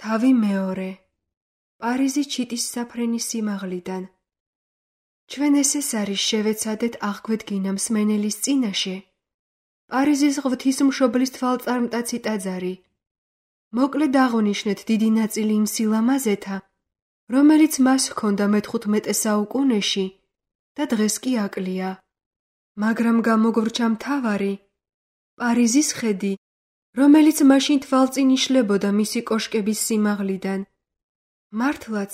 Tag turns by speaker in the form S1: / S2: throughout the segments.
S1: თავი მეორე. პარიზი ჩიტის საფრენის სიმაღლიდან. ჩვენ ეს არის შევეცადეთ აღგვედგინა მსმენელის წინაშე პარიზის ღვთისმშობლის თვალწარმტაცი ტაძარი. მოკლედ აღნიშნეთ დიდი ნაწილი იმ სილამაზეთა, რომელიც მას ჰქონდა მე-15 საუკუნეში და დღეს კი აკლია. მაგრამ გამოგვრჩა მთავარი, პარიზის ხედი, რომელიც მაშინ თვალწინ იშლებოდა მისი კოშკების სიმაღლიდან. მართლაც,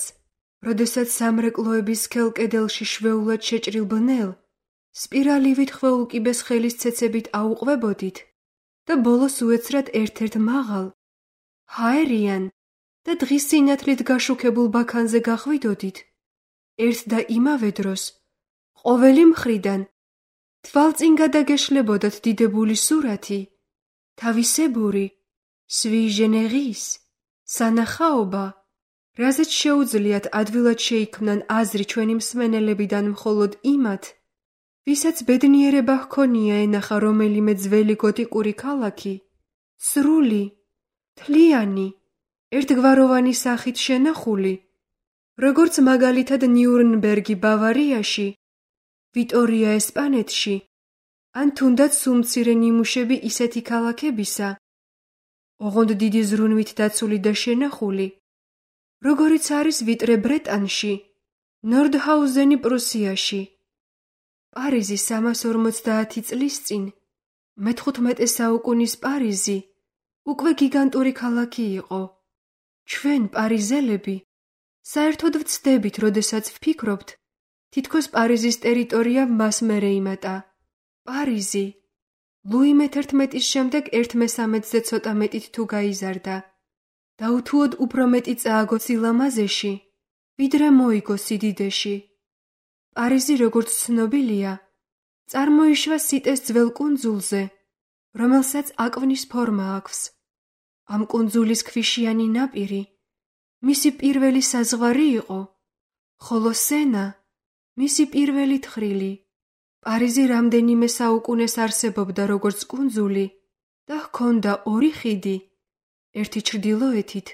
S1: როდესაც სამრეკლოების სქელ კედელში შვეულად შეჭრილ ბნელ, სპირალივით ხვეულკიბეს ხელის ცეცებით აუყვებოდით და ბოლოს უეცრად ერთ-ერთ მაღალ, ჰაერიან და დღის სინათლით გაშუქებულ ბაქანზე გახვიდოდით, ერთ და იმავე დროს, ყოველი მხრიდან, თვალწინ გადაგეშლებოდათ დიდებული სურათი, თავისებური, sui generis, სანახაობა, რაზეც შეუძლიათ ადვილად შეიქმნან აზრი ჩვენი მსმენელებიდან მხოლოდ იმათ, ვისაც ბედნიერება ჰქონია ენახა რომელიმე ძველი გოტიკური ქალაქი, სრული, თლიანი, ერთგვაროვანი სახით შენახული, როგორც მაგალითად ნიურნბერგი ბავარიაში, ვიტორია ესპანეთში, ან თუნდაც სულმცირე ნიმუშები ისეთი ქალაქებისა, ოღონდ დიდი ზრუნვით დაცული და შენახული, როგორიც არის ვიტრე ბრეტანში, ნორდჰაუზენი პრუსიაში. პარიზი 350 წლის წინ, მე-15 საუკუნის პარიზი, უკვე გიგანტური ქალაქი იყო. ჩვენ, პარიზელები, საერთოდ ვცდებით, როდესაც ვფიქრობთ, თითქოს პარიზის ტერიტორია მას მერე იმატა. პარიზი, ლუი მე-11-ის შემდეგ 1/13-ზე ცოტა მეტით თუ გაიზარდა და უთუოდ უფრო მეტი წააგო სილამაზეში, ვიდრე მოიგო სიდიდეში. პარიზი, როგორც ცნობილია, წარმოიშვა სიტეს ძველ კუნძულზე, რომელსაც აკვნის ფორმა აქვს. ამ კუნძულის ქვიშიანი ნაპირი მისი პირველი საზღვარი იყო, ხოლო სენა მისი პირველი თხრილი. პარიზი რამდენიმე საუკუნეს არსებობდა როგორც კუნძული და ჰქონდა ორი ხიდი, ერთი ჩრდილოეთით,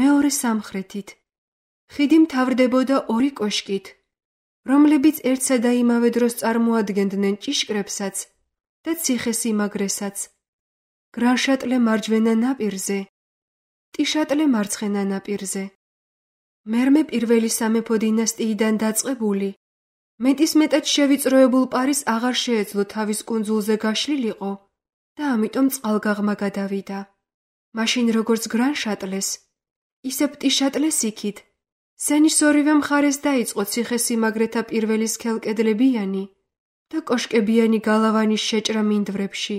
S1: მეორე სამხრეთით. ხიდი მთავრდებოდა ორი კოშკით, რომლებიც ერთსა და იმავე დროს წარმოადგენდნენ ჭიშკრებსაც და ციხესიმაგრესაც. გრან-შატლე მარჯვენა ნაპირზე, ტიშატლე მარცხენა ნაპირზე. მერმე პირველი სამეფო დინასტიიდან დაწყებული, მეტისმეტად შევიწროებულ პარიზს აღარ შეეძლო თავის კუნძულზე გაშლილიყო და ამიტომ წყალგაღმა გადავიდა. მაშინ როგორც გრან-შატლეს, ისე ტიშატლეს იქით, სენის ორივე მხარეს დაიწყო ციხესიმაგრეთა პირველი სქელკედლებიანი და კოშკებიანი გალავანის შეჭრა მინდვრებში.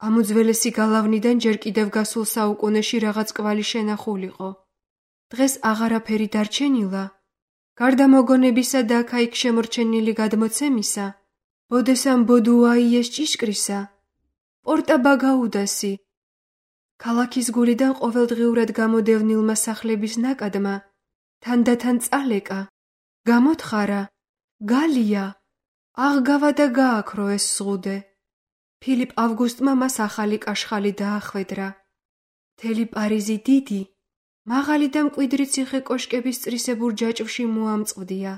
S1: ამ უძველესი გალავნიდან ჯერ კიდევ გასულ საუკუნეში რაღაც კვალი შენახულიყო. დღეს აღარაფერი დარჩენილა, გარდა მოგონებისა და აქა-იქ შემორჩენილი გადმოცემისა, ბოდესამ ბოდუაიეს ჭიშკრისა, პორტა ბაგაუდასი, ქალაქის გულიდან ყოველდღიურად გამოდევნილმა სახლების ნაკადმა, თანდათან წალეკა, გამოთხარა, გალია, აღგავა და გააქრო ეს ზღუდე. ფილიპ ავგუსტმა მას ახალი კაშხალი დაახვედრა. მთელი პარიზი დიდი, მაღალი და მკვიდრი ციხე კოშკების წრისებურ ჯაჭვში მოამწყვდია.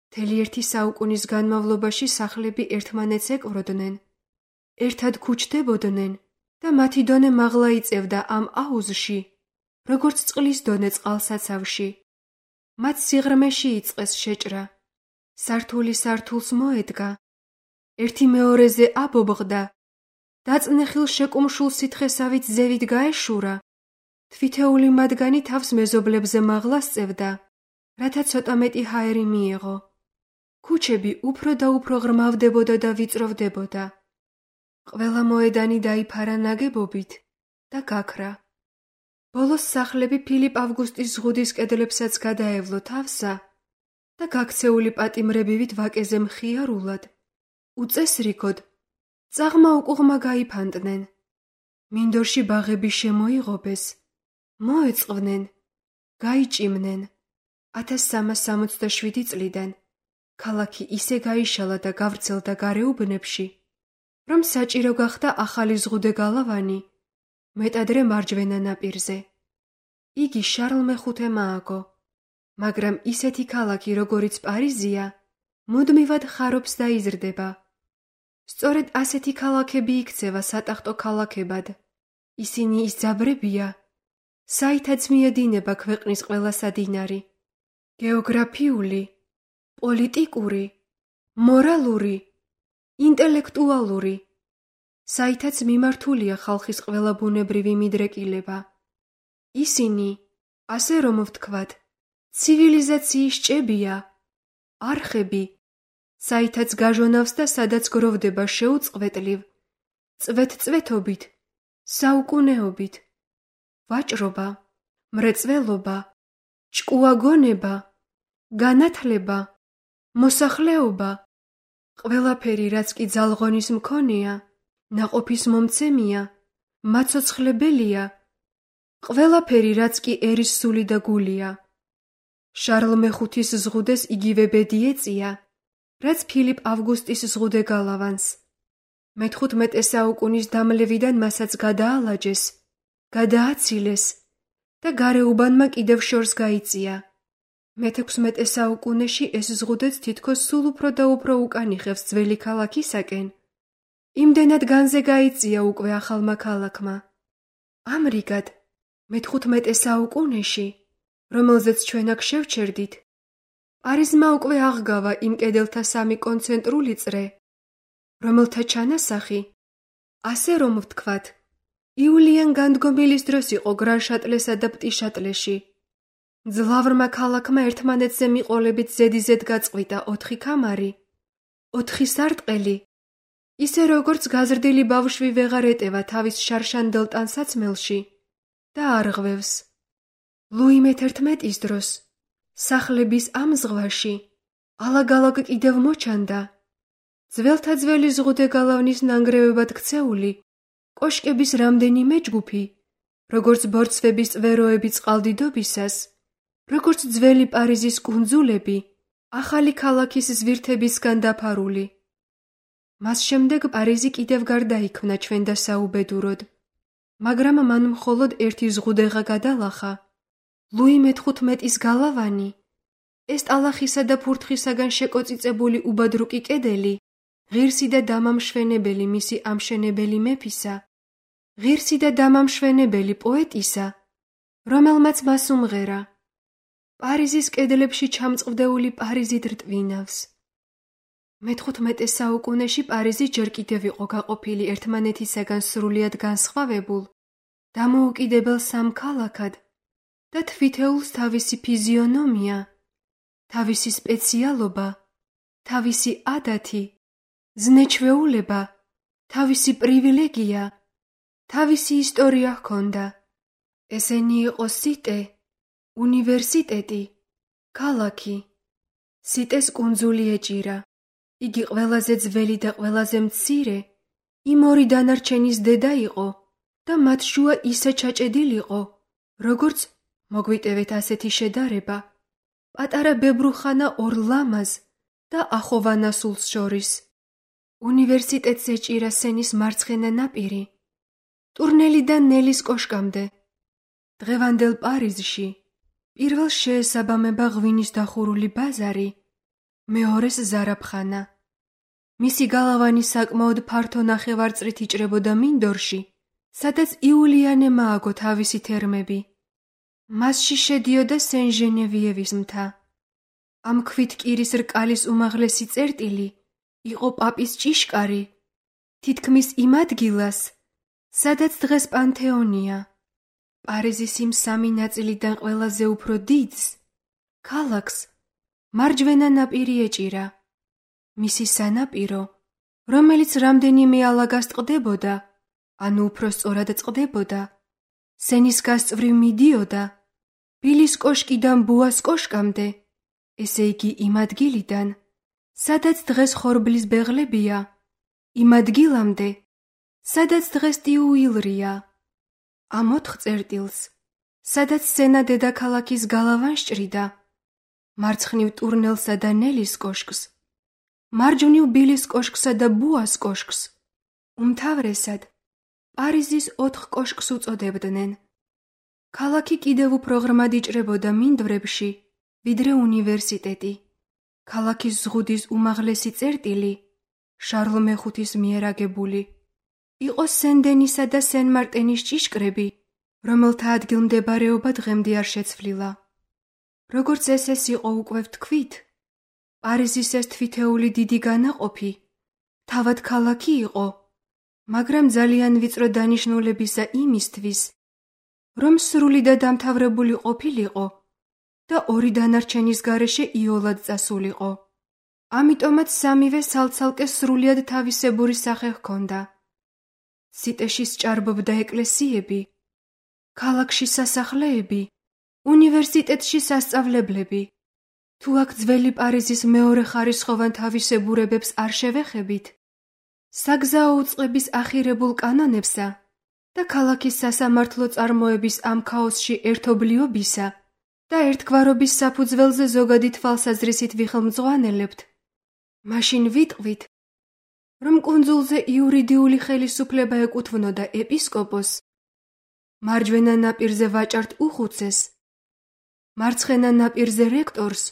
S1: მთელი ერთი საუკუნის განმავლობაში სახლები ერთმანეთს ეკვროდნენ, ერთად ქუჩდებოდნენ და მათი დონე მაღლა იწევდა ამ აუზში, როგორც წყლის დონე წყალსაცავში. მათ სიღრმეში იწყეს შეჭრა. სართული სართულს მოედგა, ერთი მეორეზე აბობღდა, დაწნეხილ შეკუმშულ სითხესავით ზევით გაეშურა. თვითეული მათგანი თავს მეზობლებზე მაღლა სწევდა, რათა ცოტა მეტი ჰაერი მიეღო. ქუჩები უფრო და უფრო ღრმავდებოდა და ვიწროვდებოდა. ყველა მოედანი დაიფარა ნაგებობით და გაქრა. ბოლოს სახლები ფილიპ ავგუსტის ზღუდის კედლებსაც გადაევლო თავსა და გაქცეული პატიმრებივით ვაკეზე მხიარულად, უწესრიგოდ, წაღმა უკუღმა გაიფანტნენ. მინდორში ბაღები შემოიღობეს, მოეწყვნენ, გაიჭიმნენ. 1367 წლიდან ქალაქი ისე გაიშალა და გავრცელდა გარეუბნებში, რომ საჭირო გახდა ახალი ზღუდე გალავანი, მეტადრე მარჯვენა ნაპირზე. იგი შარლ მეხუთემ ააგო, მაგრამ ისეთი ქალაქი, როგორიც პარიზია, მუდმივად ხარობს და იზრდება. სწორედ ასეთი ქალაქები იქცევა სატახტო ქალაქებად. ისინი ის ძაბრებია, საითაც მიედინება ქვეყნის ყველა სადინარი. გეოგრაფიული, პოლიტიკური, მორალური, ინტელექტუალური, საითაც მიმართულია ხალხის ყველა ბუნებრივი მიდრეკილება. ისინი, ასე რომ ვთქვათ, ცივილიზაციის ჭებია, არხები, საითაც გაჟონავს და სადაც გროვდება შეუწყვეტლივ, წვეთ-წვეთობით, საუკუნეობით, ვაჭრობა, მრეწველობა, ჭკუაგონება, განათლება, მოსახლეობა, ყველაფერი, რაც კი ძალღონის მქონეა, ნაყოფის მომცემია, მაცოცხლებელია, ყველაფერი, რაც კი ერის სული და გულია. შარლ მეხუთის ზღუდეს იგივე ბედი ეწია, რაც ფილიპ ავგუსტის ზღუდე გალავანს. მე-15 საუკუნის დამლევიდან მასაც გადაალაჯეს, გადააცილეს და გარეუბანმა კიდევ შორს გაიწია. მე-16 საუკუნეში ეს ზღუდეც თითქოს სულ უფრო და უფრო უკან იხევს ძველი ქალაქისაკენ. იმდენად განზე გაიწია უკვე ახალმა ქალაქმა. ამრიგად, მე-15 საუკუნეში, რომელზეც ჩვენ აქ შევჩერდით, პარიზმა უკვე აღგავა იმ კედელთა სამი კონცენტრული წრე, რომელთა ჩანასახი, ასე რომ ვთქვათ, იულიან განდგომილის დროს იყო გრან-შატლესა და პტი-შატლეში. ძლავრმა ქალაქმა ერთმანეთზე მიყოლებით ზედიზედ გაწყვიტა 4 კამარი, 4 სარტყელი, ისე როგორც გაზრდილი ბავშვი ვეღარ ეტევა თავის შარშანდელ ტანსაცმელში და არღვევს. ლუი მე-11-ის დროს სახლების ამ ზღვაში ალაგ-ალაგ კიდევ მოჩანდა. ძველთა-ძველი ზღუდე გალავნის ნანგრევებად ქცეული კოშკების რამდენიმე ჯგუფი, როგორც ბორცვების წვეროები წყალდიდობისას, როგორც ძველი პარიზის კუნძულები, ახალი ქალაქის ზვირთებისგან დაფარული. მას შემდეგ პარიზი კიდევ გარდაიქმნა ჩვენ და საუბედუროდ, მაგრამ მან მხოლოდ ერთი ზღუდეღა გადალახა. ლუი მე-15-ის გალავანი, ეს ტალახისა და ფურთხისაგან შეკოწიწებული უბადრუკი კედელი, ღირსი და დამამშვენებელი მისი ამშენებელი მეფისა, ღირსი და დამამშვენებელი პოეტისა, რომელმაც მას უმღერა. პარიზის კედლებში ჩამწყვდეული პარიზი რტვინავს. მე-15 საუკუნეში პარიზი ჯერ კიდევ იყო გაყოფილი ერთმანეთისაგან სრულიად განსხვავებულ, დამოუკიდებელ სამ ქალაქად და თვითეულს თავისი ფიზიონომია, თავისი სპეციალობა, თავისი ადათი, ზნეჩვეულება, თავისი პრივილეგია, თავისი ისტორია ჰქონდა. ესენი იყო სიტე, უნივერსიტეტი, ქალაქი. სიტეს კუნძული ეჭირა. იგი ყველაზე ძველი და ყველაზე მცირე, იმ ორი დანარჩენის დედა იყო და მათ შუა ისე ჩაჭედილიყო, როგორც, მოგვიტევეთ ასეთი შედარება, პატარა ბებრუხანა ორ ლამაზ და ახოვანა სულს შორის. უნივერსიტეტს ეჭირა სენის მარცხენა ნაპირი, ტურნელიდან ნელის კოშკამდე. დღევანდელ პარიზში პირველს შეესაბამება ღვინის დახურული ბაზარი, მეორეს ზარაფხანა. მისი გალავანი საკმაოდ ფართო ნახევარწრით იჭრებოდა მინდორში, სადაც იულიანემ ააგო თავისი თერმები. მასში შედიოდა სენ-ჟენევიევის მთა. ამ ქვითკირის რკალის უმაღლესი წერტილი იყო პაპის ჭიშკარი, თითქმის იმ ადგილას, სადაც დღეს პანთეონია. პარიზის იმ სამი ნაწილიდან ყველაზე უფრო დიდს, ქალაქს, მარჯვენა ნაპირი ეჭირა. მისი სანაპირო, რომელიც რამდენიმე ალაგას წყდებოდა, ანუ უფრო სწორად წყდებოდა, სენის გასწვრივ მიდიოდა, ბილის კოშკიდან ბუას კოშკამდე, ესე იგი იმ ადგილიდან, სადაც დღეს ხორბლის ბეღლებია, იმ ადგილამდე, სადაც დღეს ტიუილრია. ამ 4 წერტილს, სადაც სენა დედაქალაქის გალავანს ჭრიდა, მარცხნივ ტურნელსა და ნელის კოშკს, მარჯვნივ ბილის კოშკსა და ბუას კოშკს, უმთავრესად პარიზის 4 კოშკს უწოდებდნენ. ქალაქი კიდევ უფრო ღრმად იჭრებოდა მინდვრებში, ვიდრე უნივერსიტეტი. ქალაქის ზღუდის უმაღლესი წერტილი, შარლ მეხუთის მიერ აგებული, იყო სენ-დენისა და სენ-მარტენის ჭიშკრები, რომელთა ადგილმდებარეობა დღემდე არ შეცვლილა. როგორც ეს იყო უკვე ვთქვით, პარიზის ეს თვითეული დიდი განაყოფი თავად ქალაქი იყო, მაგრამ ძალიან ვიწრო დანიშნულებისა იმისთვის, რომ სრული და დამთავრებული ყოფილიყო და ორი დანარჩენის გარეშე იოლად წასულიყო. ამიტომაც სამივე ცალ-ცალკე სრულიად თავისებური სახე ჰქონდა. სიტეში სჭარბობდა ეკლესიები, ქალაქში სასახლეები, უნივერსიტეტში სასწავლებლები. თუ აქ ძველი პარიზის მეორე ხარისხოვან თავისებურებებს არ შევეხებით, საგზაო უწყების ახირებულ კანონებსა და ქალაქის სასამართლო წარმოების ამ ქაოსში ერთობლიობისა და ერთგვარობის საფუძველზე ზოგადი თვალსაზრისით ვიხელმძღვანელებთ, მაშინ ვიტყვით, რომ კუნძულზე იურიდიული ხელისუფლება ეკუთვნოდა ეპისკოპოსს, მარჯვენა ნაპირზე ვაჭართ უხუცეს, მარცხენა ნაპირზე რექტორს,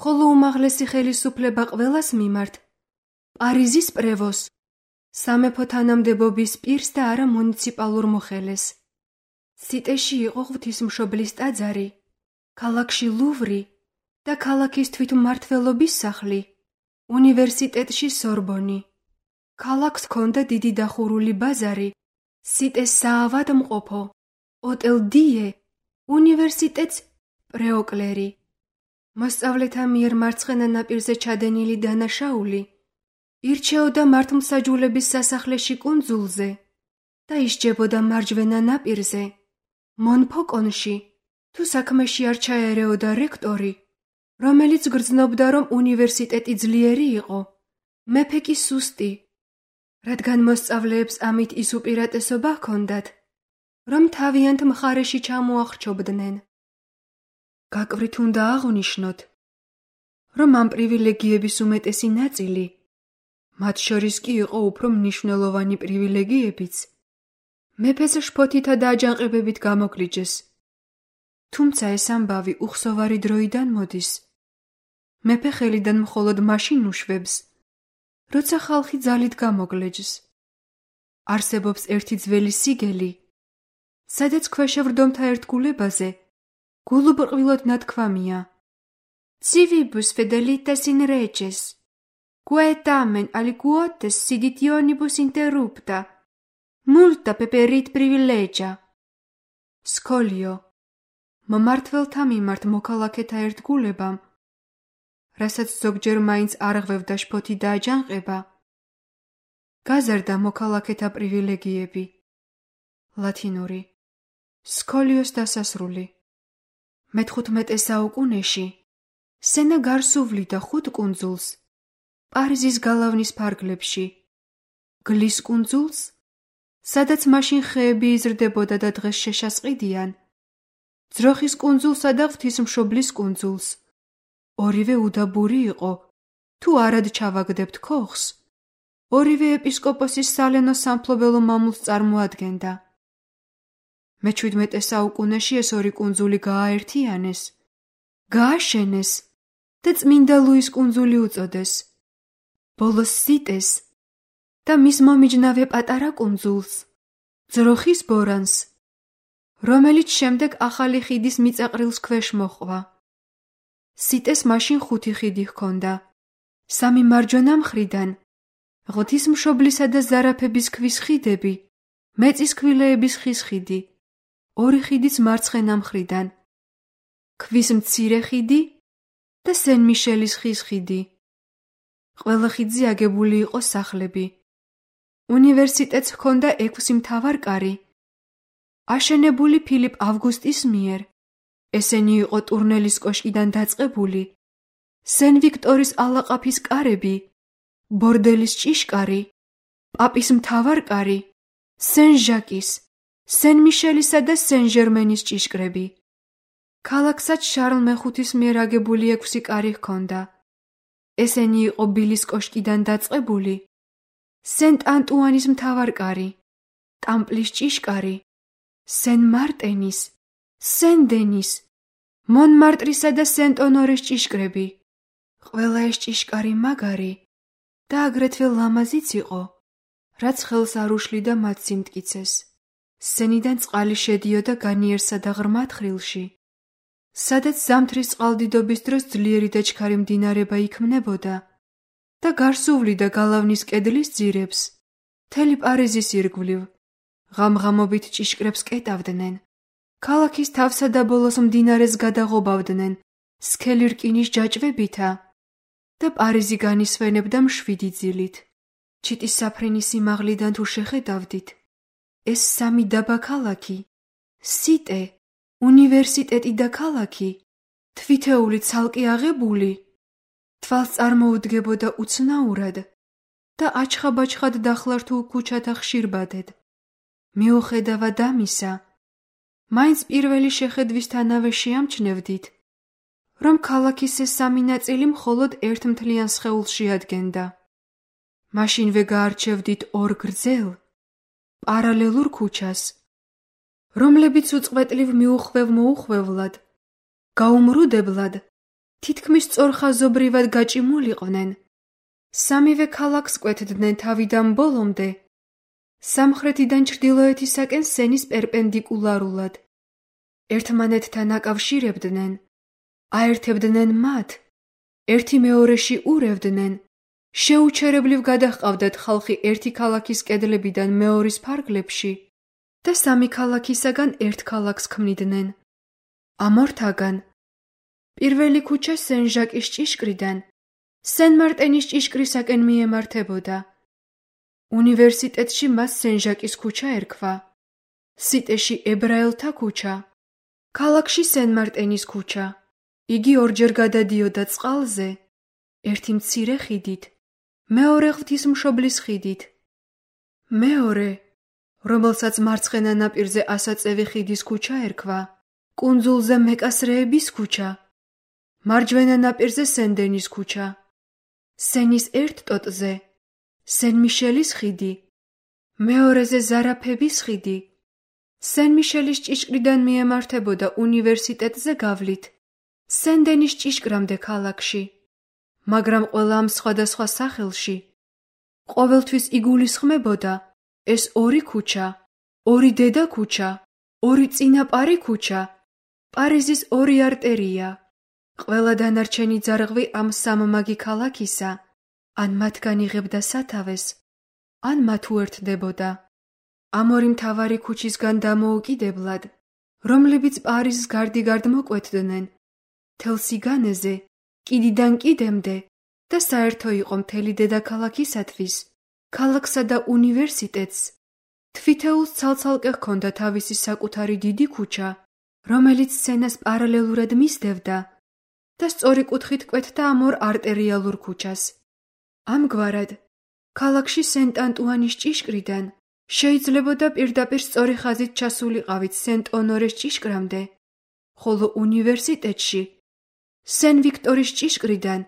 S1: ხოლო უმაღლესი ხელისუფლება ყველას მიმართ პარიზის პრევოს, სამეფო თანამდებობის პირს და არა მუნიციპალურ მოხელეს. სიტეში იყო ღვთისმშობლის ტაძარი, ქალაქში ლუვრი და ქალაქის თვითმმართველობის სახლი, უნივერსიტეტში სორბონი. ქალაქს ჰქონდა დიდი დახურული ბაზარი, სიტეს საავადმყოფო, ოტელ დიე, უნივერსიტეტს პრეოკლერი. მოსწავლეთა მიერ მარცხენა ნაპირზე ჩადენილი დანაშაული ირჩეოდა მართლმსაჯულების სასახლეში კუნძულზე და ისჯებოდა მარჯვენა ნაპირზე, მონფოკონში, თუ საქმეში არ ჩაერეოდა რექტორი, რომელიც გრძნობდა, რომ უნივერსიტეტი ძლიერი იყო, მეფე კი სუსტი, რადგან მოსწავლეებს ამით ის უპირატესობა ჰქონდათ, რომ თავიანთ მხარეში ჩამოახრჩობდნენ. გაკვრით უნდა აღვნიშნოთ, რომ ამ პრივილეგიების უმეტესი ნაწილი, მათ შორის კი იყო უფრო მნიშვნელოვანი პრივილეგიებიც, მეფეს შფოთითა და აჯანყებებით გამოგლიჯეს. თუმცა ეს ამბავი უხსოვარი დროიდან მოდის. მეფე ხელიდან მხოლოდ მაშინ უშვებს, როცა ხალხი ძალით გამოგლეჯს. არსებობს ერთი ძველი სიგელი, სადაც ქვეშევრდომთა ერთგულებაზე გულუბრყვილოდ ნათქვამია: Civibus fidelitas in reges, quae tamen aliquotes siditionibus interrupta, multa peperit privilegia. სკოლიო, მომმართველთა მიმართ მოქალაქეთა ერთგულებამ, რასაც ზოგჯერ მაინც არ ღვევდა შფოთი და აჯანყება, გაზარდა მოქალაქეთა პრივილეგიები. ლათინური სკოლიოს დასასრული. მე-15 საუკუნეში სენა გარს უვლიდა 5 კუნძულს პარიზის გალავნის ფარგლებში, გლის კუნძულს, სადაც მაშინ ხეები იზრდებოდა და დღეს შეშასყიდიან, ძროხის კუნძულსა და ღვთისმშობლის კუნძულს. ორივე უდაბური იყო, თუ არად ჩავაგდებთ ქოხს, ორივე ეპისკოპოსის სალენო სამფლობელო მამულს წარმოადგენდა. მე-17 საუკუნეში ეს ორი კუნძული გააერთიანეს, გააშენეს და წმინდა ლუის კუნძული უწოდეს. ბოლოს სიტეს და მის მომიჯნავე პატარა კუნძულს, ძროხის ბორანს, რომელიც შემდეგ ახალი ხიდის მიწაყრილს ქვეშ მოჰყვა. სიტეს მაშინ 5 ხიდი ჰქონდა, 3 მარჯვენა მხრიდან, ღვთისმშობლისა და ზარაფების ქვის ხიდები, მეწისქვილეების ხის ხიდი, 2 ხიდიც მარცხენა მხრიდან, ქვის მცირე ხიდი და სენ-მიშელის ხის ხიდი. ყველა ხიდზე აგებული იყო სახლები. უნივერსიტეტს ჰქონდა 6 მთავარკარი, აშენებული ფილიპ ავგუსტის მიერ. ესენი იყო ტურნელის კოშკიდან დაწყებული, სენ-ვიქტორის ალაყაფის კარები, ბორდელის ჭიშკარი, პაპის მთავარკარი, სენ-ჟაკის, სენ-მიშელისა და სენ-ჟერმენის ჭიშკრები. ქალაქსაც შარლ მეხუთის მიერ აგებული 6 კარი ჰქონდა. ესენი იყო ბილის კოშკიდან დაწყებული, სენტ-ანტუანის მთავარკარი, ტამპლის ჭიშკარი, სენ-მარტენის, სენ-დენის, მონმარტრისა და სენტ-ონორეს ჭიშკრები. ყველა ეს ჭიშკარი მაგარი და აგრეთვე ლამაზიც იყო, რაც ხელს არ უშლიდა მათ სიმტკიცეს. სენიდან წყალი შედიოდა განიერსა და ღრმა თხრილში, სადაც ზამთრის წყალდიდობის დროს ძლიერი და ჩქარი მდინარება იქმნებოდა და გარს უვლიდა გალავნის კედლის ძირებს. მთელი პარიზის ირგვლივ ღამღამობით ჭიშკრებს კეტავდნენ. ქალაქის თავსა და ბოლოს მდინარეს გადაღობავდნენ სქელი რკინის ჯაჭვებითა და პარიზი განისვენებდა მშვიდი ძილით. ჩიტის საფრენის სიმაღლიდან თუ შეხედავდით, ეს სამი დაბა ქალაქი, სიტე, უნივერსიტეტი და ქალაქი, თვითეული ცალკე აღებული, თვალს წარმოუდგებოდა უცნაურად და აჩხაბაჩხად დახლართულ ქუჩათა ხშირბადედ. მიუხედავად ამისა, მაინც პირველი შეხედვისთანავე შეამჩნევდით, რომ ქალაქის ეს სამი ნაწილი მხოლოდ ერთ მთლიან სხეულში ადგენდა. მაშინვე გაარჩევდით ორ გრძელ, პარალელურ ქუჩას, რომლებიც უწყვეტლივ მიუხვევ-მოუხვევლად, გაუმრუდებლად, თითქმის სწორხაზობრივად გაჭიმულიყვნენ. სამივე ქალაქს კვეთდნენ თავიდან ბოლომდე, სამხრეთიდან ჩრდილოეთისაკენ სენის პერპენდიკულარულად. ერთმანეთთან აკავშირებდნენ, აერთებდნენ მათ, ერთი მეორეში ურევდნენ, შეუჩერებლივ გადაჰყავდათ ხალხი ერთი ქალაქის კედლებიდან მეორის ფარგლებში და სამი ქალაქისაგან ერთ ქალაქს ქმნიდნენ. ამორთაგან პირველი ქუჩა სენ-ჟაკის ჭიშკრიდან სენ-მარტენის ჭიშკრისაკენ მიემართებოდა. უნივერსიტეტში მას სენ-ჟაკის ქუჩა ერქვა, სიტეში ებრაელთა ქუჩა, ქალაქში სენ-მარტენის ქუჩა. იგი ორჯერ გადადიოდა წყალზე, ერთი მცირე ხიდით, მეორე ღვთისმშობლის ხიდით. მეორე, რომელსაც მარცხენა ნაპირზე ასაწევი ხიდის ქუჩა ერქვა, კუნძულზე მეკასრეების ქუჩა, მარჯვენა ნაპირზე სენ-დენის ქუჩა, სენის ერთ ტოტზე სენ-მიშელის ხიდი, მეორეზე ზარაფების ხიდი. სენ-მიშელის ჭიშკრიდან მიემართებოდა უნივერსიტეტზე გავლით სენ-დენის ჭიშკრამდე ქალაქში, მაგრამ ყველა ამ სხვადასხვა სახელში ყოველთვის იგულისხმებოდა ეს ორი ქუჩა, ორი დედა ქუჩა, ორი წინაპარი ქუჩა, პარიზის ორი არტერია. ყველა დანარჩენი ძარღვი ამ სამმაგი ქალაქისა ან მათგან იღებდა სათავეს, ან მათ უერთდებოდა. ამ ორი მთავარი ქუჩისგან დამოუკიდებლად, რომლებიც პარიზს გარდიგარდ მოკვეთდნენ, მთელ სიგანეზე, კიდიდან კიდემდე და საერთო იყო მთელი დედაქალაქისათვის, ქალაქსა და უნივერსიტეტს, თვითეულს ცალ-ცალკე ჰქონდა თავისი საკუთარი დიდი ქუჩა, რომელიც სენას პარალელურად მისდევდა და სწორი კუთხით კვეთდა ამ ორ არტერიალურ ქუჩას. ამგვარად, ქალაქში სენტ-ანტუანის ჭიშკრიდან შეიძლებოდა პირდაპირ სწორი ხაზით ჩასულიყავით სენტ-ონორეს ჭიშკრამდე, ხოლო უნივერსიტეტში სენ-ვიქტორის ჭიშკრიდან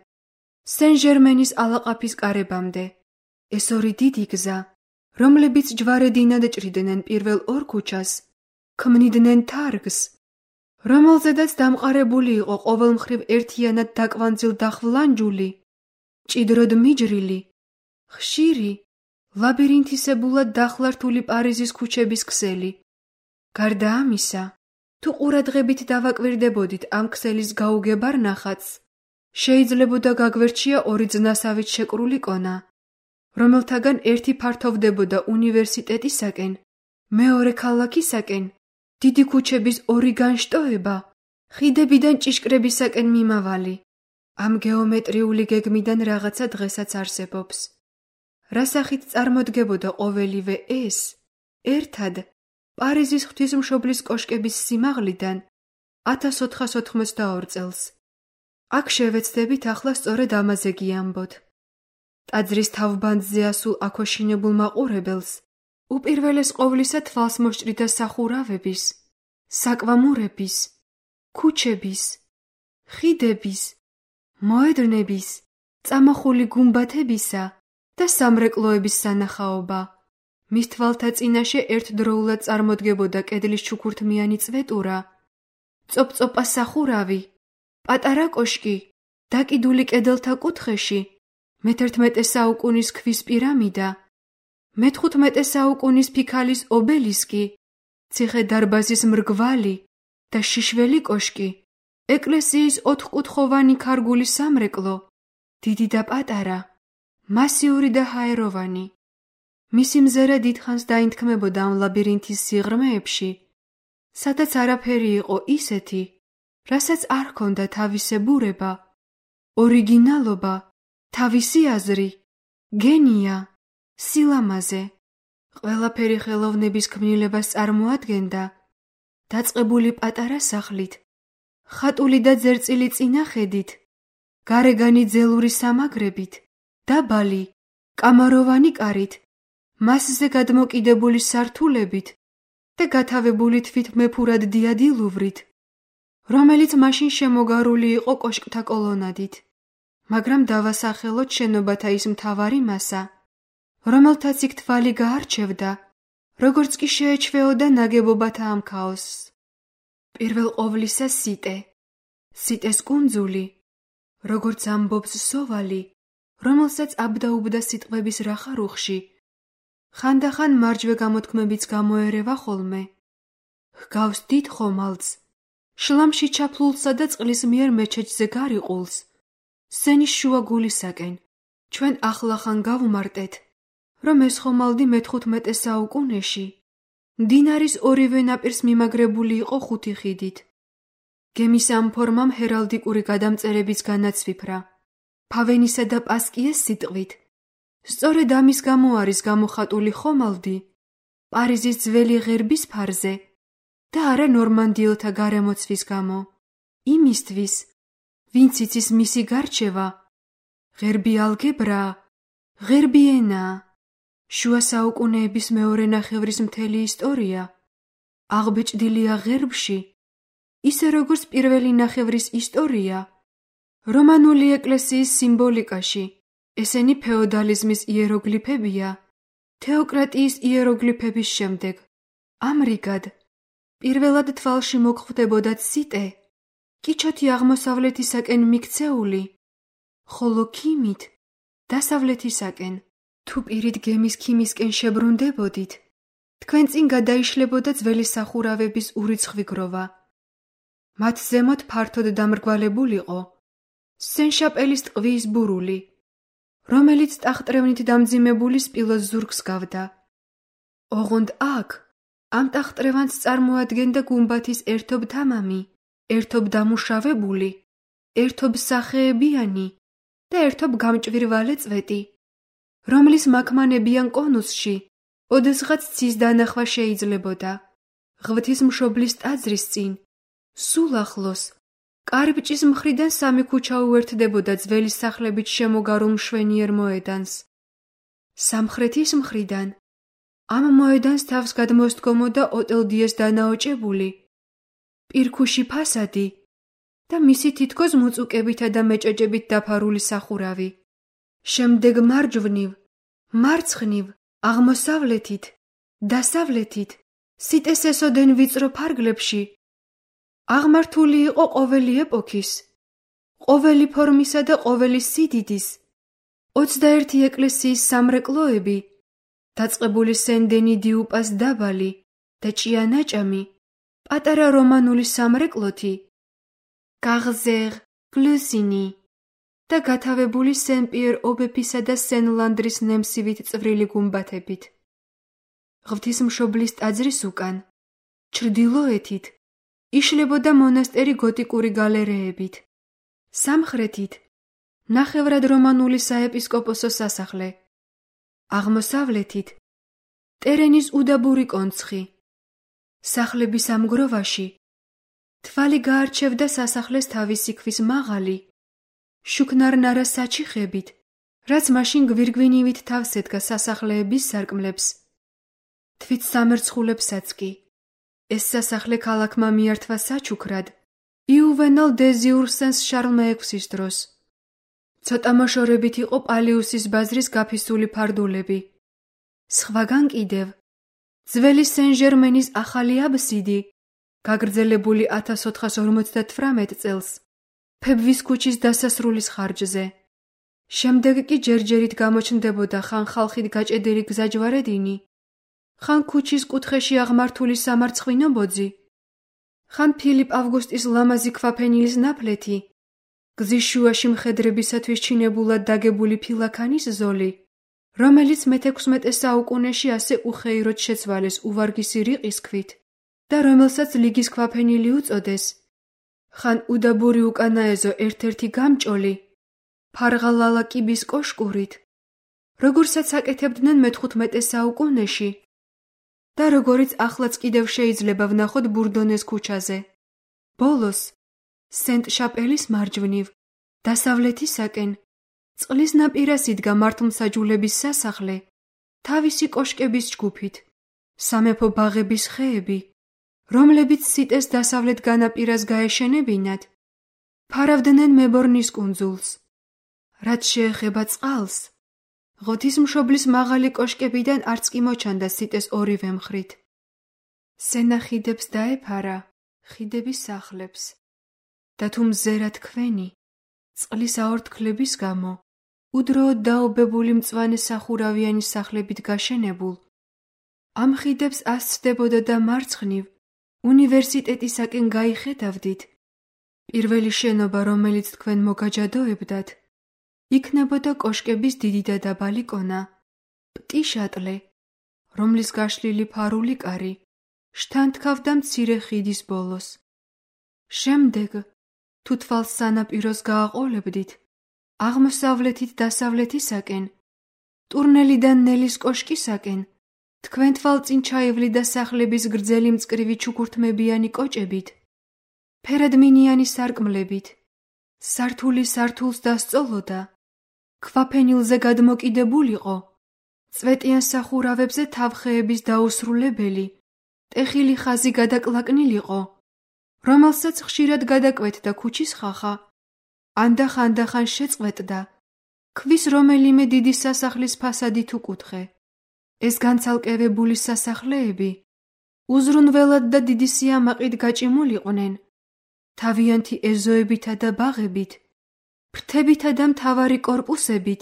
S1: სენ-ჟერმენის ალაყაფის კარებამდე. ეს ორი დიდი გზა, რომლებიც ჯვარედინად ჭრიდნენ პირველ ორ ქუჩას, ქმნიდნენ თარგს, რომელზედაც დამყარებული იყო ყოველ მხრივ ერთიანად დაკვანძილ დახვლანჯული, მჭიდროდ მიჯრილი, ხშირი, ლაბირინთისებულად დახლართული პარიზის ქუჩების ქსელი. გარდა ამისა, თუ ყურადღებით დავაკვირდებოდით ამ ქსელის გაუგებარ ნახატს, შეიძლებოდა გაგვერჩია ორი ძნასავით შეკრული კონა, რომელთაგან ერთი ფართოვდებოდა უნივერსიტეტისაკენ, მეორე ქალაქისაკენ, დიდი ქუჩების ორი განშტოება, ხიდებიდან ჭიშკრებისაკენ მიმავალი. ამ გეომეტრიული გეგმიდან რაღაცა დღესაც არსებობს. რასახით წარმოდგებოდა ყოველივე ეს, ერთად, პარიზის ღვთისმშობლის კოშკების სიმაღლიდან 1482 წელს. აქ შევეცდებით ახლა სწორედ ამაზე გიამბოთ. ტაძრის თავბანძზე ასულ აქოშინებულ მაყურებელს უპირველეს ყოვლისა თვალს მოსჭრიდა სახურავების, საკვამურების, ქუჩების, ხიდების, მოედნების, წამახული გუმბათებისა და სამრეკლოების სანახაობა. მის თვალთა წინაშე ერთდროულად წარმოდგებოდა კედლის ჩუქურთმიანი წვეტურა წოპ-წოპა სახურავი, პატარა კოშკი, დაკიდული კედელთა კუთხეში, მე-11 საუკუნის ქვის პირამიდა, მე-15 საუკუნის ფიქალის ობელისკი, ციხე-დარბაზის მრგვალი და შიშველი კოშკი, ეკლესიის ოთხკუთხოვანი ქარგული სამრეკლო, დიდი და პატარა, მასიური და ჰაეროვანი. მისი მზერა დიდხანს დაინთქმებოდა ამ ლაბირინთის სიღრმეებში, სადაც არაფერი იყო ისეთი, რასაც არ ჰქონდა თავისებურება, ორიგინალობა, თავისი აზრი, გენია, სილამაზე. ყველაფერი ხელოვნების ქმნილებას წარმოადგენდა, დაწყებული პატარა სახლით, ხატული და ძერწილი წინახედით, გარეგანი ძელური სამაგრებით, დაბალი, კამაროვანი კარით, მასზე გადმოკიდებული სართულებით და გათავებული თვითმეფურად დიადი ლუვრით, რომელიც მაშინ შემოგარული იყო კოშკთა კოლონადით, მაგრამ დავასახელოთ შენობათა ის მთავარი მასა, რომელთაც იქ თვალი გაარჩევდა, როგორც კი შეეჩვეოდა ნაგებობათა ამ ქაოსს. პირველ ყოვლისა სიტე, სიტეს კუნძული, როგორც ამბობს სოვალი, რომელსაც აბდაუბდა სიტყვების რახარუხში, ხანდახან მარჯვე გამოთქმებიც გამოერევა ხოლმე. ჰგავს დიდ ხომალდს, შლამში ჩაფლულსა და წყლის მიერ მეჩეთზე გარიყულს, სენის შუა გულისაკენ. ჩვენ ახლახან გავუმარტეთ, რომ ეს ხომალდი მე-15 საუკუნეში მდინარის ორივე ნაპირს მიმაგრებული იყო 5 ხიდით. გემის ამ ფორმამ ჰერალდიკური გადამწერებიც განაცვიფრა, ფავენისა და პასკიეს სიტყვით. სწორედ ამის გამო არის გამოხატული ხომალდი პარიზის ძველი ღერბის ფარზე და არა ნორმანდიელთა გარემოცვის გამო, იმისთვის, ვინც იცის მისი გარჩევა, ღერბი ალგებრაა, ღერბი ენაა, შუა საუკუნეების მეორე ნახევრის მთელი ისტორია აღბეჭდილია ღერბში, ისე როგორც პირველი ნახევრის ისტორია რომანული ეკლესიის სიმბოლიკაში. ესენი ფეოდალიზმის იეროგლიფებია, თეოკრატიის იეროგლიფების შემდეგ. ამრიგად, პირველად თვალში მოგხვდებოდა სიტე, კიჩოთი აღმოსავლეთისაკენ მიქცეული, ხოლო ქიმით დასავლეთისაკენ. თუ პირით გემის ქიმისკენ შებრუნდებოდით, თქვენ წინ გადაიშლებოდა ძველი სახურავების ურიცხვი გროვა. მათ ზემოთ ფართოდ დამრგვალებულიყო სენ-შაპელის ტყვის ბურული, რომელიც ტახტრევნით დამძიმებული სპილოს ზურგს გავდა. ოღონდ აქ, ამ ტახტრევანს წარმოადგენდა გუმბათის ერთობ თამამი, ერთობ დამუშავებული, ერთობ სახეებიანი და ერთობ გამჭვირვალე წვეტი, რომლის მაქმანებიან კონუსში ოდესღაც ცის დანახვა შეიძლებოდა. ღვთისმშობლის ტაძრის წინ, სულ ახლოს, კარიბჭის მხრიდან 3 ქუჩა უერთდებოდა ძველი სახლებით შემოგარულ მშვენიერ მოედანს. სამხრეთის მხრიდან ამ მოედანს თავს გადმოსდგომოდა ოტელ დიეს დანაოჭებული, პირქუში ფასადი და მისი თითქოს მუწუკებითა და მეჭეჭებით დაფარული სახურავი. შემდეგ მარჯვნივ, მარცხნივ, აღმოსავლეთით, დასავლეთით, სიტეს ესოდენ ვიწრო ფარგლებში აღმართული იყო ყოველი ეპოქის, ყოველი ფორმისა და ყოველი სიდიდის 21 ეკლესიის სამრეკლოები, დაწყებული სენ-დენი დიუპას დაბალი და ჭიანაჭამი, პატარა რომანული სამრეკლოთი, გაღზეღ, გლუსინი და გათავებული სენ-პიერ ობეფისა და სენ-ლანდრის ნემსივით წვრილი გუმბათებით. ღვთისმშობლის ტაძრის უკან, ჩრდილოეთით, იშლებოდა მონასტერი გოტიკური გალერეებით. სამხრეთით, ნახევრად რომანული საეპისკოპოსო სასახლე. აღმოსავლეთით, ტერენის უდაბური კონცხი. სახლების ამ გროვაში თვალი გაარჩევდა სასახლეს თავისი ქვის მაღალი, შუქნარნარა საჩიხებით, რაც მაშინ გვირგვინივით თავს ედგა სასახლეების სარკმლებს. თვით სამერცხულებსაც კი. ეს სასახლე ქალაქმა მიართვა საჩუქრად იუვენალ დე ზიურსენს შარლ მე-6-ის დროს. ცოტა მოშორებით იყო პალიუსის ბაზრის გაფისული ფარდულები. სხვაგან კიდევ, ძველი სენ-ჟერმენის ახალი აბსიდი გაგრძელებული 1458 წელს, ფებვის ქუჩის დასასრულის ხარჯზე. შემდეგ კი ჯერჯერით გამოჩნდებოდა ხან ხალხით გაჭედილი გზაჯვარედინი, ხან ქუჩის კუთხეში აღმართული სამარცხვინო ბოძი, ხან ფილიპ ავგუსტის ლამაზი ქვაფენილის ნაფლეთი, გზის შუაში მხედრებისათვის ჩინებულად დაგებული ფილაქანის ზოლი, რომელიც მე-16 საუკუნეში ასე უხეიროდ შეცვალეს უვარგისი რიყის ქვით და რომელსაც ლიგის ქვაფენილი უწოდეს, ხან უდაბური უკანაეზო ერთ-ერთი გამჭოლი, ფარღალალა კიბის კოშკურით, როგორცაც აკეთებდნენ მე-15 საუკუნეში და როგორიც ახლაც კიდევ შეიძლება ვნახოთ ბურდონეს ქუჩაზე. ბოლოს, სენტ-შაპელის მარჯვნივ, დასავლეთისაკენ, წყლის ნაპირას იდგა მართლმსაჯულების სასახლე, თავისი კოშკების ჯგუფით, სამეფო ბაღების ხეები, რომლებიც სიტეს დასავლეთ განაპირას გაეშენებინათ, ფარავდნენ მებორნის კუნძულს. რაც შეეხება წყალს, ღვთისმშობლის მაღალი კოშკებიდან არც კი მოჩანდა სიტეს ორივე მხრით. სენა ხიდებს დაეფარა, ხიდების სახლებს, და თუ მზერა თქვენი, წყლის აორთქლების გამო, უდროოდ დაობებული მწვანე სახურავიანი სახლებით გაშენებულ, ამ ხიდებს ასწდებოდა და მარცხნივ, უნივერსიტეტისაკენ გაიხედავდით, პირველი შენობა, რომელიც თქვენ მოგაჯადოებდათ, იქნებოდა კოშკების დიდი და დაბალი კონა, პტიშატლე, რომლის გაშლილი ფარული კარი შთანთქავდა მცირე ხიდის ბოლოს. შემდეგ, თუ თვალს სანაპიროს გააყოლებდით, აღმოსავლეთით დასავლეთისაკენ, ტურნელიდან ნელის კოშკისაკენ, თქვენ თვალწინ ჩაივლიდა სახლების გრძელი მწკრივი ჩუქურთმებიანი კოჭებით, ფერადმინიანი სარკმლებით, სართული სართულს დასწოლოდა, ქვაფენილზე გადმოკიდებულიყო, წვეტიან სახურავებზე თავხეების დაუსრულებელი, ტეხილი ხაზი გადაკლაკნილიყო, რომელსაც ხშირად გადაკვეთდა ქუჩის ხახა, ანდახან შეწყვეტდა, ქვის რომელიმე დიდი სასახლის ფასადით უკუთხე. ეს განცალკევებული სასახლეები უზრუნველად და დიდი სიამაყით გაჭიმულიყვნენ, თავიანთი ეზოებითა და ბაღებით, ფრთებითა და მთავარი კორპუსებით,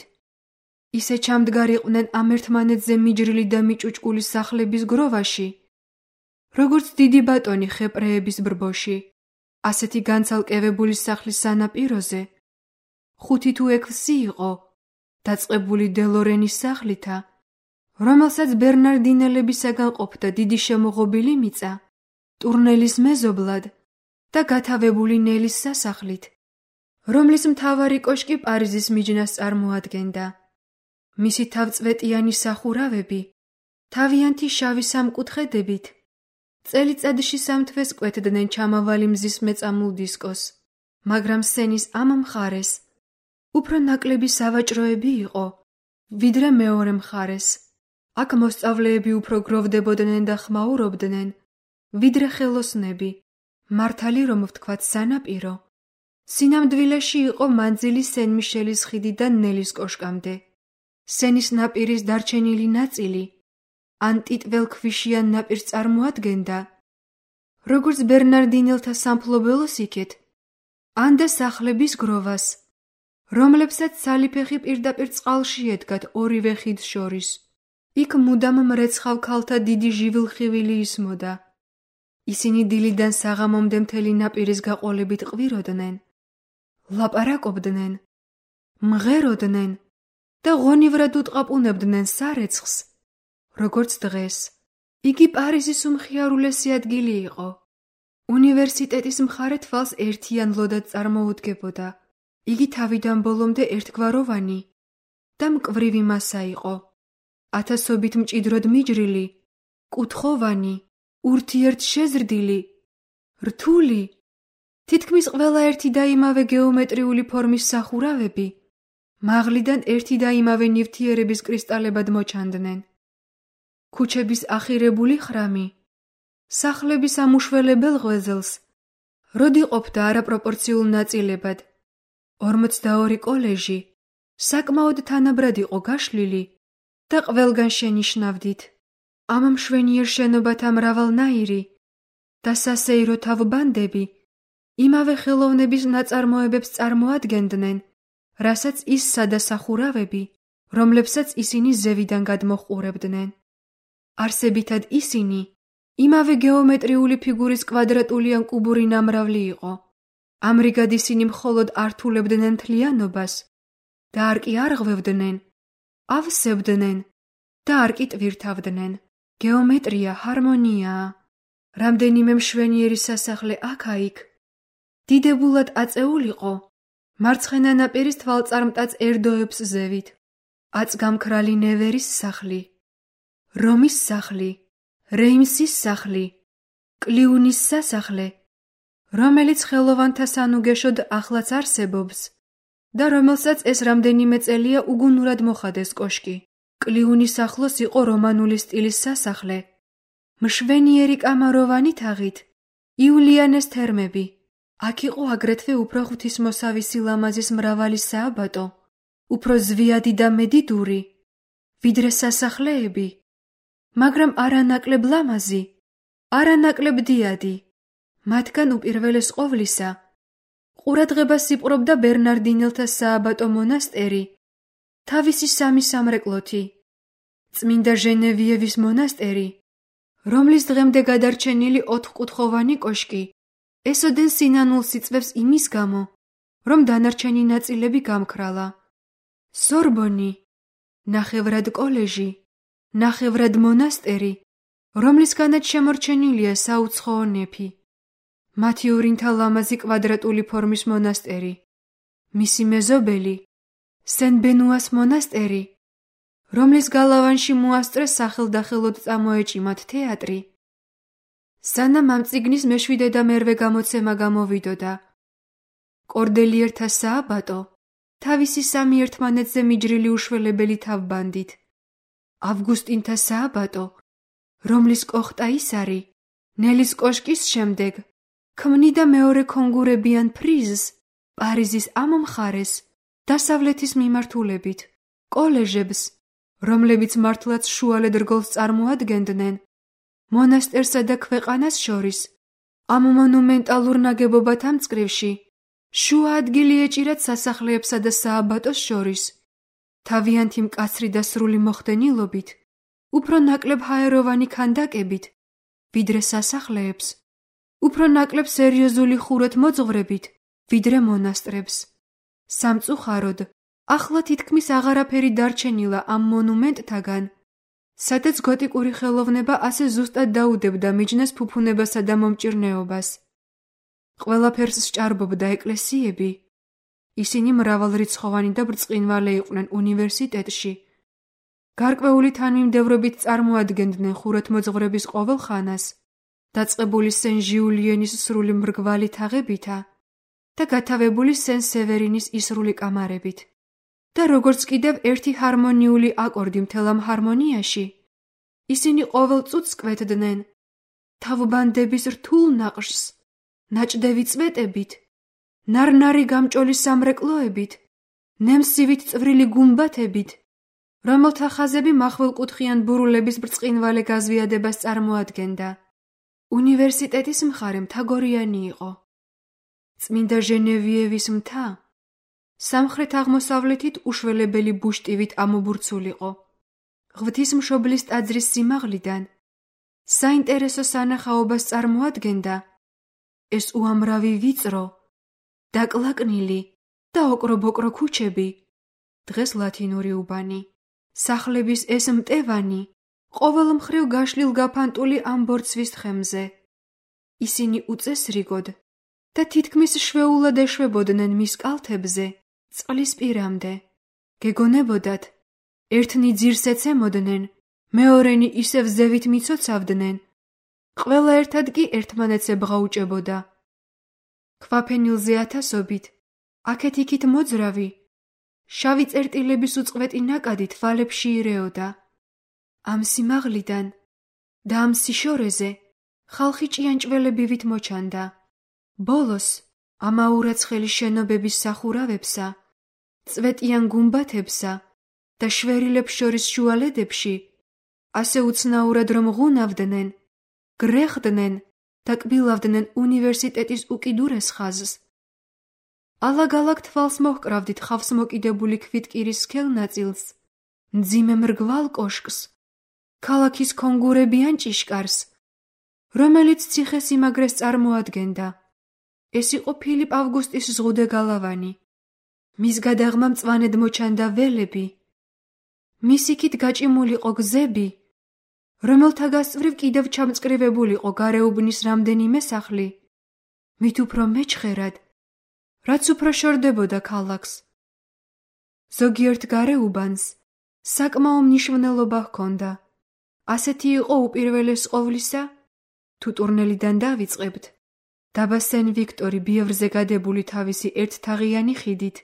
S1: ისე ჩამდგარიყვნენ ამ ერთმანეთზე მიჯრილი და მიჭუჭკული სახლების გროვაში, როგორც დიდი ბატონი ხეპრეების ბრბოში. ასეთი განცალკევებული სახლის სანაპიროზე 5 თუ 6 იყო, დაწყებული დელორენის სახლითა, რომელსაც ბერნარდინელებისაგან ყოფდა დიდი შემოღობილი მიწა, ტურნელის მეზობლად და გათავებული ნელის სასახლით, რომლის მთავარი კოშკი პარიზის მიჯნას წარმოადგენდა. მისი თავწვეტიანი სახურავები, თავიანთი შავი სამკუთხედებით, წელიწადში 3 თვეს კვეთდნენ ჩამავალი მზის მეწამულ დისკოს, მაგრამ სენის ამ მხარეს უფრო ნაკლები სავაჭროები იყო, ვიდრე მეორე მხარეს. აქ მოსწავლეები უფრო გროვდებოდნენ და ხმაურობდნენ, ვიდრე ხელოსნები, მართალი რომ ვთქვათ სანაპირო. სინამდვილეში იყო მანძილი სენ-მიშელის ხიდიდან ნელის კოშკამდე. სენის ნაპირის დარჩენილი ნაწილი ან ტიტველქვიშიან ნაპირს წარმოადგენდა, როგორც ბერნარდინელთა სამფლობელოს იქეთ, ან და სახლების გროვას, რომლებსაც სალიფეხი პირდაპირ წყალში ედგათ ორივე ხიდს შორის. იქ მუდამ მრეცხავ ქალთა დიდი ჟივილხივილი ისმოდა. ისინი დილიდან საღამომდე მთელი ნაპირის გაყოლებით ყვიროდნენ, ლაპარაკობდნენ, მღეროდნენ და ღონივრად უტყაპუნებდნენ სარეცხს, როგორც დღეს. იგი პარიზის უმხიარულესი ადგილი იყო. უნივერსიტეტის მხარე თვალს ერთიანლოდად წარმოუდგებოდა. იგი თავიდან ბოლომდე ერთგვაროვანი და მკვრივი მასა იყო. ათასობით მჭიდროდ მიჯრილი, კუთხოვანი, ურთიერთშეზრდილი, რთული, თითქმის ყველა ერთი და იმავე გეომეტრიული ფორმის სახურავები, მაღლიდან ერთი და იმავე ნივთიერების კრისტალებად მოჩანდნენ. ქუჩების ახირებული ხრამი, სახლების ამუშველებელ ღვეზლს, როდი ყოფდა არაპროპორციულ ნაწილებად. 42 კოლეჟი საკმაოდ თანაბრად იყო გაშლილი და ყველგან შენიშნავდით. ამ მშვენიერ შენობათა მრავალნაირი, და სასეირო თავბანდები იმავე ხელოვნების ნაწარმოებებს წარმოადგენდნენ, რასაც ის სადასახურავები, რომლებსაც ისინი ზევიდან გადმოჰყურებდნენ. არსებითად ისინი იმავე გეომეტრიული ფიგურის კვადრატული ან კუბური ნამრავლი იყო. ამრიგად ისინი მხოლოდ ართულებდნენ მთლიანობას და არ კი არღვევდნენ, ავსებდნენ და არ კი ტვირთავდნენ. გეომეტრია ჰარმონიაა. რამდენიმე მშვენიერი სასახლე აქა-იქ დიდებულად აწეულიყო მარცხენა ნაპირის თვალწარმტაც ერდოებს ზევით. აწგამქრალი ნევერის სახლი, რომის სახლი, რეიმსის სახლი, კლიუნის სასახლე, რომელიც ხელოვანთა სანუგეშოდ ახლაც არსებობს და რომელსაც ეს რამდენიმე წელია უგუნურად მოხადეს კოშკი. კლიუნის ახლოს იყო რომანული სტილის სასახლე, მშვენიერი კამაროვანი თაღით, იულიანეს თერმები. აქ იყო აგრეთვე უფრო ღვთისმოსავი სილამაზის მრავალი სააბატო, უფრო ზვიადი და მედიდური, ვიდრე სასახლეები, მაგრამ არანაკლებ ლამაზი, არანაკლებ დიადი. მათგან უპირველეს ყოვლისა ყურადღებას იპყრობდა ბერნარდინელთა სააბატო მონასტერი, თავისი სამი სამრეკლოთი, წმინდა ჟენევიევის მონასტერი, რომლის დღემდე გადარჩენილი ოთხკუთხოვანი კოშკი ესოდენ სინანულს იწვევს იმის გამო, რომ დანარჩენი ნაწილები გამქრალა. სორბონი, ნახევრად კოლეჟი, ნახევრად მონასტერი, რომლისგანაც შემორჩენილია საუცხოო ნეფი. მათიურინთა ლამაზი კვადრატული ფორმის მონასტერი, მისი მეზობელი, სენ-ბენუას მონასტერი, რომლის გალავანში მოასწრეს სახელდახელოდ წამოეჭიმათ თეატრი. სანამ ამ წიგნის მეშვიდე და მერვე გამოცემა გამოვიდოდა, კორდელიერთა სააბატო თავისი სამი ერთმანეთზე მიჯრილი უშველებელი თავბანდით, ავგუსტინთა სააბატო, რომლის კოხტა ის არის, ნელის კოშკის შემდეგ ქმნიდა მეორე კონგურებიან ფრიზს პარიზის ამ მხარეს დასავლეთის მიმართულებით, კოლეჟებს, რომლებიც მართლაც შუალედ რგოლს წარმოადგენდნენ, მონასტერსა და ქვეყანას შორის, ამ მონუმენტალურ ნაგებობათა მწკრივში, შუა ადგილი ეჭირათ სასახლეებსა და სააბატოს შორის, თავიანთი მკაცრი და სრული მოხდენილობით, უფრო ნაკლებ ჰაეროვანი ქანდაკებით, ვიდრე სასახლეებს, უფრო ნაკლებ სერიოზული ხურეთ მოძღვრებით, ვიდრე მონასტრებს. სამწუხაროდ, ახლა თითქმის აღარაფერი დარჩენილა ამ მონუმენტთაგან, სადაც გოტიკური ხელოვნება ასე ზუსტად დაუდებდა მიჯნეს ფუფუნებასა და მომჭირნეობას. ყველაფერს სჭარბობდა ეკლესიები. ისინი მრავალრიცხოვანი და ბრწყინვალე იყვნენ უნივერსიტეტში. გარკვეული თანმიმდევრობით წარმოადგენდნენ ხურეთმოძღვრების ყოველ ხანას, დაწყებული სენ-ჟიულიანის სრული მრგვალი თაღებითა და გათავებული სენ-სევერინის ისრული კამარებით. და როგორც კიდევ ერთი ჰარმონიული აკორდი მთელ ამ ჰარმონიაში, ისინი ყოველ წუთს კვეთდნენ თავბანდების რთულ ნაყშს, ნაჭდევი წვეტებით, ნარნარი გამჭოლი სამრეკლოებით, ნემსივით წვრილი გუმბათებით, რომელთა ხაზები მახვილკუთხიან ბურულების ბრწყინვალე გაზვიადებას წარმოადგენდა. უნივერსიტეტის მხარე მთაგორიანი იყო. წმინდა ჟენევიევის მთა სამხრეთ-აღმოსავლეთით უშველებელი ბუშტივით ამობურცულიყო. ღვთისმშობლის ტაძრის სიმაღლიდან საინტერესო სანახაობას წარმოადგენდა ეს უამრავი ვიწრო, დაკლაკნილი და ოκრობოკრო ქუჩები, დღეს ლათინური უბანი, სახლების ეს მტევანი, ყოველ მხრივ გაშლილ გაფანტული ამ ბორცვის თხემზე. ისინი უწესრიგოდ და თითქმის შვეულად ეშვებოდნენ მის კალთებზე, წყლის პირამდე. გეგონებოდათ, ერთნი ძირს ეცემოდნენ, მეორენი ისევ ზევით მიცოცავდნენ, ყველა ერთად კი ერთმანეთს ებღაუჭებოდა. ქვაფენილზე ათასობით, აქეთ-იქით მოძრავი, შავი წერტილების უწყვეტი ნაკადი თვალებში ირეოდა. ამ სიმაღლიდან და ამ სიშორეზე ხალხი ჭიანჭველებივით მოჩანდა. ბოლოს ამაურაცხელი შენობების სახურავებსა, წვეტიან გუმბათებსა და შვერილებს შორის შუალედებში ასე უცნაურად რომ ღუნავდნენ, გრეხდნენ და კბილავდნენ უნივერსიტეტის უკიდურეს ხაზს. ალაგ-ალაგ თვალს მოჰკრავდით ხავს მოკიდებული ქვითკირის სქელ ნაწილს, მძიმე მრგვალ კოშკს, ქალაქის კონგურებიან ჭიშკარს, რომელიც ციხესიმაგრეს წარმოადგენდა. ეს იყო ფილიპ ავგუსტის ზღუდე-გალავანი. მის გადაღმა მწვანედ მოჩანდა ველები. მის იქით გაჭიმულიყო გზები, რომელთა გასწვრივ კიდევ ჩამწკრივებულიყო გარეუბნის რამდენიმე სახლი, მით უფრო მეჩხერად, რაც უფრო შორდებოდა ქალაქს. ზოგიერთ გარეუბანს საკმაო მნიშვნელობა ჰქონდა. ასეთი იყო უპირველეს ყოვლისა, თუ ტურნელიდან დავიწყებთ, დაბა სენ-ვიქტორი ბიევრზე გადებული თავისი ერთთაღიანი ხიდით,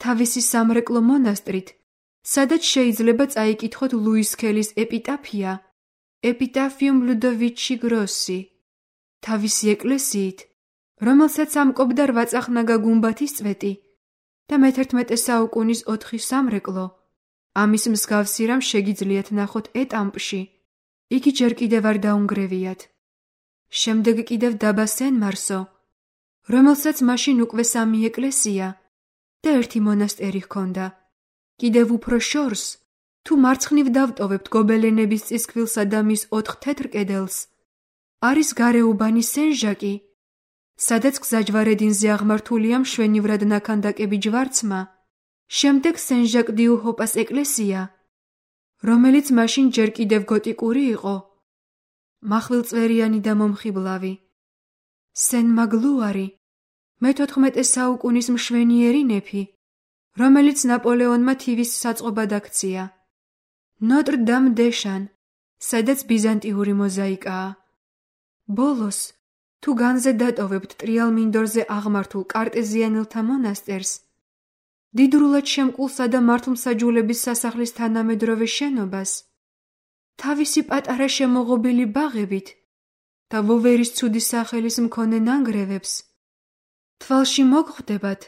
S1: თავისი სამრეკლო მონასტრით, სადაც შეიძლება წაიკითხოთ ლუის სქელის ეპიტაფია, ეპიტაფიუმ ლუდოვიჩი გროსი, თავისი ეკლესიით, რომელსაც ამკობდა 8 წახნაგა გუმბათის წვეტი და მე-11 საუკუნის 4 სამრეკლო. ამის მსგავსი რამ შეგიძლიათ ნახოთ ეტამპში, იგი ჯერ კიდევ არ დაუნგრევიათ. შემდეგ კიდევ დაბა სენ-მარსო, რომელსაც მაშინ უკვე 3 ეკლესია და 1 მონასტერი ჰქონდა. კიდევ უფრო შორს, თუ მარცხნივ დავტოვებთ გობელენების წისქვილსა და მის 4 თეთრ კედელს, არის გარეუბანი სენ-ჟაკი, სადაც გზაჯვარედინზე აღმართულია მშვენივრად ნაქანდაკები ჯვარცმა, შემდეგ სენ-ჟაკ-დიუ-ჰოპას ეკლესია, რომელიც მაშინ ჯერ კიდევ გოტიკური იყო, მახვილწვერიანი და მომხიბლავი, სენ-მაგლუარი, მე-14 საუკუნის მშვენიერი ნეფი, რომელიც ნაპოლეონმა თივის საწყობად აქცია, ნოტრ-დამ-დე-შან, სადაც ბიზანტიური მოზაიკაა. ბოლოს, თუ განზე დატოვებთ ტრიალ მინდორზე აღმართულ კარტეზიანელთა მონასტერს, დიდრულად შემკულსა და მართლმსაჯულების სასახლის თანამედროვე შენობას, თავისი პატარა შემოღობილი ბაღებით და ვოვერის ცუდი სახელის მქონე ნანგრევებს, თვალში მოგხვდებათ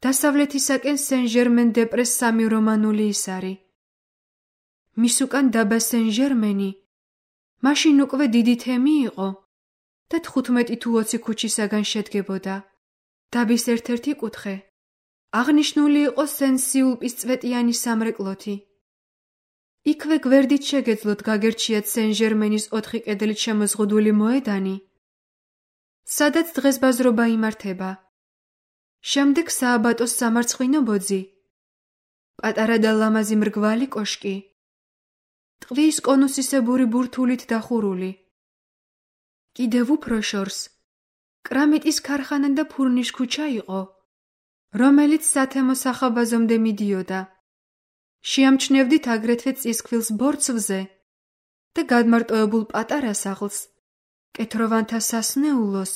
S1: დასავლეთისაკენ სენ-ჟერმენ-დე-პრეს 3 რომანული ისარი. მის უკან დაბა სენ-ჟერმენი მაშინ უკვე დიდი თემი იყო და 15 თუ 20 ქუჩისაგან შედგებოდა. დაბის ერთ-ერთი კუთხე აღნიშნული იყო სენ-სიულპის წვეტიანი სამრეკლოთი. იქვე გვერდით შეგეძლოთ გაგერჩიათ სენ-ჟერმენის 4 კედლით შემოზღუდული მოედანი, სადაც დღესბაზრობა იმართება. შემდეგ სააბატოს სამარცხინო ბოძი, პატარა და ლამაზი მრგვალი კოშკი, ტყვის კონუსისებური ბურთულით დახურული. კიდევ უფრო შორს, კრამიტის ქარხანა და ფურნის ქუჩა იყო, რომელიც სათემო სახაბაზომდე მიდიოდა. შეამჩნევდით აგრეთვე წისქვილს ბორცვზე და გადმარტოებულ პატარა სახლს, კეთროვანთა სასნეულოს,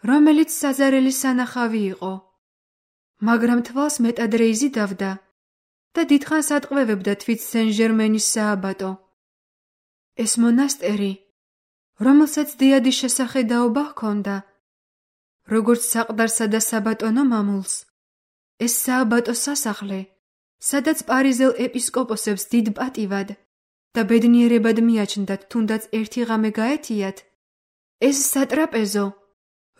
S1: რომელიც საზარელი სანახავი იყო. მაგრამ თვალს მეტად რეიზი დავდა და დიდხანს ატყვევებდა თვით სენ-ჟერმენის სააბატო. ეს მონასტერი, რომელსაც დიადი შესახედაობა ჰქონდა, როგორც საყდარსა და საბატონო მამულს, ეს სააბატო სასახლე, სადაც პარიზელ ეპისკოპოსებს დიდ პატივად და ბედნიერებად მიაჩნდათ თუნდაც ერთი ღამე გაეთიათ, ეს სატრაპეზო,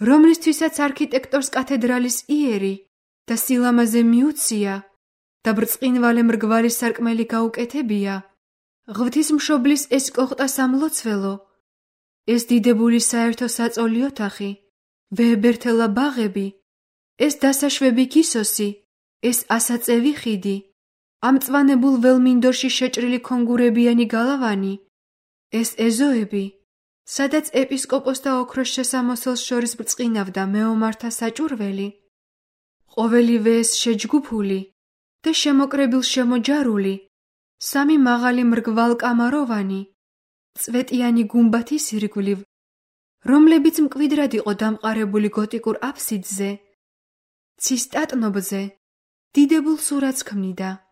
S1: რომლისთვისაც არქიტექტორს კათედრალის იერი და სილამაზე მიუცია და ბრწყინვალე მრგვალი სარკმელი გაუკეთებია, ღვთისმშობლის ეს კოხტა სამლოცველო, ეს დიდებული საერთო საწოლი ოთახი, ვეებერთელა ბაღები, ეს დასაშვები კისოსი, ეს ასაწევი ხიდი, ამ მწვანებულ ველმინდორში შეჭრილი კონგურებიანი გალავანი, ეს ეზოები, სადაც ეპისკოპოსთა ოქროს შესამოსელს შორის ბრწყინავდა მეომართა საჭურველი, ყოველივე ეს შეჯგუფული და შემოკრებილ შემოჯარული, 3 მაღალი მრგვალკამაროვანი, წვეტიანი გუმბათის ირგვლივ, რომლებიც მკვიდრად იყო დამყარებული გოტიკურ აფსიდზე, ცის ტატნობზე, დიდებულ სურათს ქმნიდა.